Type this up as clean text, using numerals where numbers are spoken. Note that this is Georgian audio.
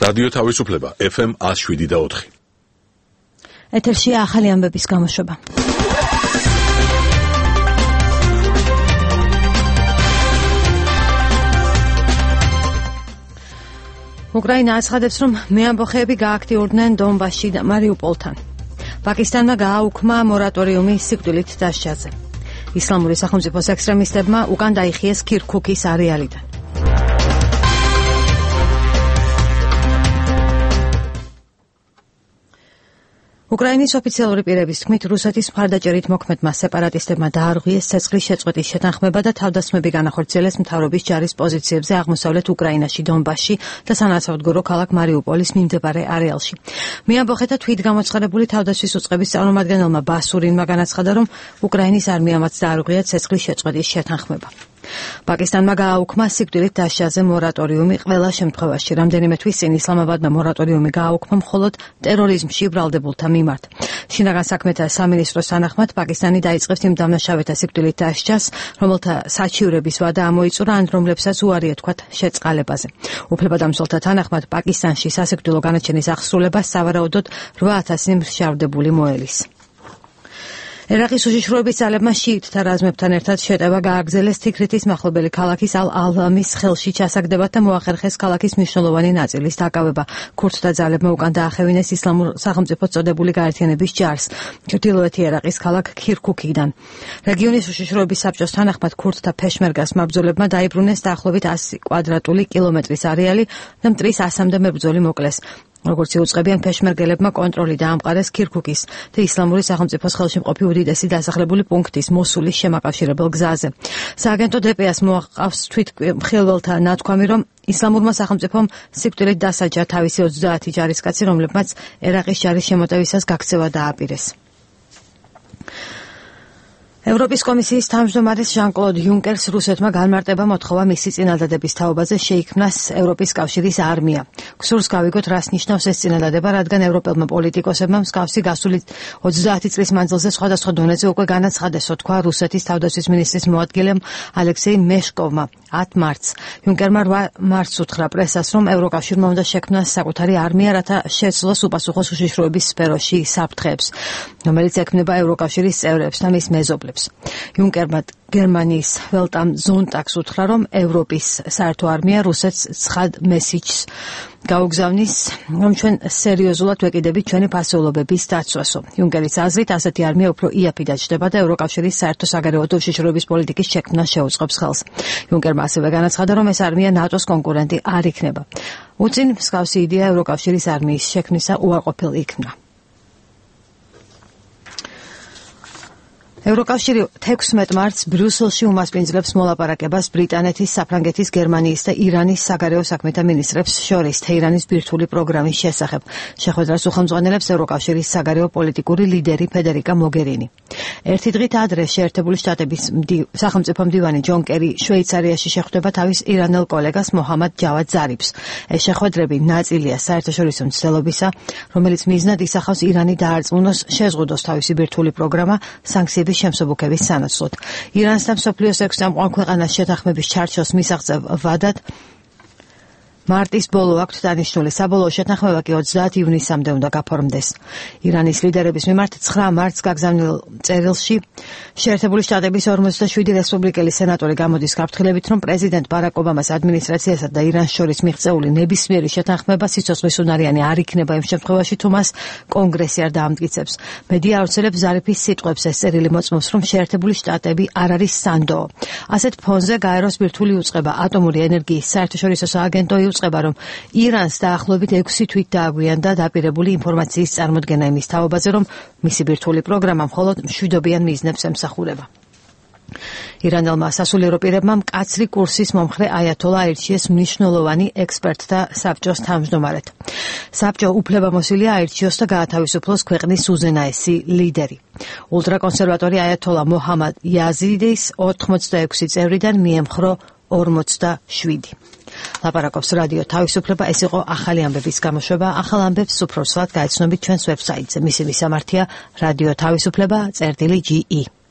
რადიო თავისუფლება FM 107.4. ეთერშია ახალი ამბების გამოშვება. უკრაინა აცხადებს, რომ მეამბოხეები გააქტიურდნენ დონბასში და მარიუპოლთან. პაკისტანმა გააუქმა მორატორიუმი სიკვდილით დასჯაზე. ისლამური სახელმწიფოს ექსტრემისტებმა უკან დაიხიეს ქირქუქის არეალიდან. უკრაინის ოფიციალური პირების თქმით, რუსეთის მხარდაჭერით მოქმედმა სეპარატისტებმა დაარღვიეს ცეცხლის შეწყვეტის შეთანხმება და თავდასხმები განახორციელეს მთავრობის ჯარის პოზიციებზე აღმოსავლეთ უკრაინაში, დონბასში და სანაცვლოდ ქალაქ მარიუპოლის მიმდებარე არეალში. მეამბოხეთა თვითგამოცხადებული თავდასხმის უწყების წარმომადგენელმა ბასურინმა განაცხადა, რომ უკრაინის არმიამაც დაარღვია ცეცხლის შეწყვეტის შეთანხმება. პაკისტანმა გააუქმა სიკვდილით დასჯაზე მორატორიუმი ყველა შემთხვევაში. რამდენიმე თვის წინ ისლამაბადმა მორატორიუმი გააუქმა მხოლოდ ტერორიზმში ბრალდებულთა მიმართ. შინაგან საქმეთა სამინისტროს თანახმად პაკისტანი დაიწყებს იმ დამნაშავეთა სიკვდილით დასჯას, რომელთა საჩივრების ვადა ამოიწურა ან რომლებსაც უარი ეთქვათ შეწყალებაზე. უფლებადამცველთა თანახმად პაკისტანში სასიკვდილო განაჩენის აღსრულებას სავარაუდოდ 8,000 მსჯავრდებული მოელის. ერაყის უშიშროების ძალებმა შიიტთა რაზმებთან ერთად შეტევა გააგრძელეს თიქრითის მახლობელი ქალაქის ალ-ალამის ხელში ჩასაგდებად და მოახერხეს ქალაქის მნიშვნელოვანი ნაწილის დაკავება. ქურთთა ძალებმა უკან დაახევინეს ისლამურ სახელმწიფოს წოდებული გაერთიანების ჯარს ჩრდილოეთი ერაყის ქალაქ ქირქუქიდან. რეგიონის უშიშროების საბჭოს თანახმად ქურთთა ფეშმერგას მებრძოლებმა დაიბრუნეს დაახლოებით 100 კვადრატული კილომეტრის არეალი და მტრის 100-მდე მებრძოლი მოკლეს. როგორც იუწყებიან, ფეშმერგელებმა კონტროლი დაამყარეს ქირქუქის და ისლამური სახელმწიფოს ხელში მყოფი უდიდესი დასახლებული პუნქტის მოსულის შემაკავშირებელ გზაზე. სააგენტო დპ-ს მოაყავს თვითმხილველთა ნათქვამი, რომ ისლამურმა სახელმწიფომ სიკვდილით დასაჯა თავისი 30 ჯარისკაცი, რომლებმაც ერაყის ჯარის შემოტევისას გაქცევა დააპირეს. ევროპის კომისიის თავმჯდომარის ჟან-კლოდ იუნკერს რუსეთმა განმარტება მოთხოვა მისი წინადადების თაობაზე შეიქმნას ევროპის კავშირის არმია. გსურს გავიგოთ, რას ნიშნავს ეს წინადადება, რადგან ევროპელმა პოლიტიკოსებმა მსგავსი გასული 30 წლის მანძილზე სხვადასხვა დონეზე უკვე განაცხადესო, თქვა რუსეთის თავდაცვის მინისტრის მოადგილემ ალექსეი მეშკოვმა 10 მარტს. იუნკერმა 8 მარტს უთხრა პრესას, რომ ევროკავშირმა უნდა შექმნას საკუთარი არმია, რათა შეცვლოს უპასუხოს უშიშროების სფეროში საფრთხეებს, რომელიც ექმნება ევროკავშირის წევრებს და მის მეზობლებს. იუნკერმა გერმანიის ველტამ ზონტაგს უთხრა, რომ ევროპის საერთო არმია რუსეთს ცხად მესიჯს გაუგზავნის, რომ ჩვენ სერიოზულად ვეკიდებით ჩვენი ფასეულობების დაცვასო. იუნკერის აზრით, ასეთი არმია უფრო იაფი დაჯდება და ევროკავშირის საერთო საგარეო და უშიშროების პოლიტიკის შექმნას შეუწყობს ხელს. იუნკერმა ასევე განაცხადა, რომ ეს არმია ნატოს კონკურენტი არ იქნება. უწინ მსგავსი იდეა ევროკავშირის არმიის შექმნისა უარყოფილ იქნა. ევროკავშირი 16 მარტს ბრიუსელში უმასპინძლებს მოლაპარაკებას ბრიტანეთის, საფრანგეთის, გერმანიის და ირანის საგარეო საქმეთა მინისტრებს შორის თეირანის ბირთვული პროგრამის შესახებ. შეხვედრას უხელმძღვანელებს ევროკავშირის საგარეო პოლიტიკური ლიდერი ფედერიკა მოგერინი. ერთი დღით ადრე შეერთებული შტატების სახელმწიფო მდივანი ჯონ კერი შვეიცარიაში შეხვდება თავის ირანელ კოლეგას მოჰამად ჯავად ზარიფს. ეს შეხვედრები ნაწილია საერთაშორისო მცდელობისა, რომელიც მიზნად ისახავს ირანი დაარწმუნოს შეზღუდოს თავისი ბირთვული პროგრამა სანქციების შემსუბუქების სანაცვლოდ. ირანს და მსოფლიოს 6 წამყვან ქვეყანას შეთანხმების ჩარჩოს მისაღწევ ვადად მარტის ბოლო აქვთ დანიშნული. საბოლოო შეთანხმება კი 30 ივნისამდე უნდა გაფორმდეს. ირანის ლიდერების მიმართ 9 მარტს გაგზავნილ წერილში შეერთებული შტატების 47 რესპუბლიკელი სენატორი გამოდის გაფრთხილებით, რომ პრეზიდენტ ბარაკ ობამას ადმინისტრაციასა და ირანს შორის მიღწეული ნებისმიერი შეთანხმება სიცოცხლის უნარიანი არ იქნება იმ შემთხვევაში, თუ მას კონგრესი არ დაამტკიცებს. მედია ავრცელებს ზარიფის სიტყვებს, ეს წერილი მოწმობს, რომ შეერთებული შტატები არ არის სანდოო. ასეთ ფონზე გაეროს ბირთვული უწყება ატომური ენერგიის საერთაშორისო სააგენტო უწყება, რომ ირანს დაახლოებით 6 თვით დააგვიანდა დაპირებული ინფორმაციის წარმოდგენა იმის თაობაზე, რომ მისი ბირთვული პროგრამა მხოლოდ მშვიდობიან მიზნებს ემსახურება. ირანელმა სასულიერო პირებმა მკაცრი კურსის მომხრე აიათოლა აირჩიეს მნიშვნელოვანი ექსპერტთა საბჭოს თავმჯდომარედ. საბჭო უფლებამოსილია აირჩიოს და გაათავისუფლოს ქვეყნის უზენაესი ლიდერი. ულტრაკონსერვატორი აიათოლა მოჰამად იაზიდის 86 წევრიდან მიემხრო 47. ლაპარაკობს რადიო თავისუფლება. ეს იყო ახალი ამბების გამოშვება. ახალ ამბებს უფრო სულად გაეცნობით ჩვენს ვებსაიტზე. მისი მისამართია რადიო თავისუფლება.ge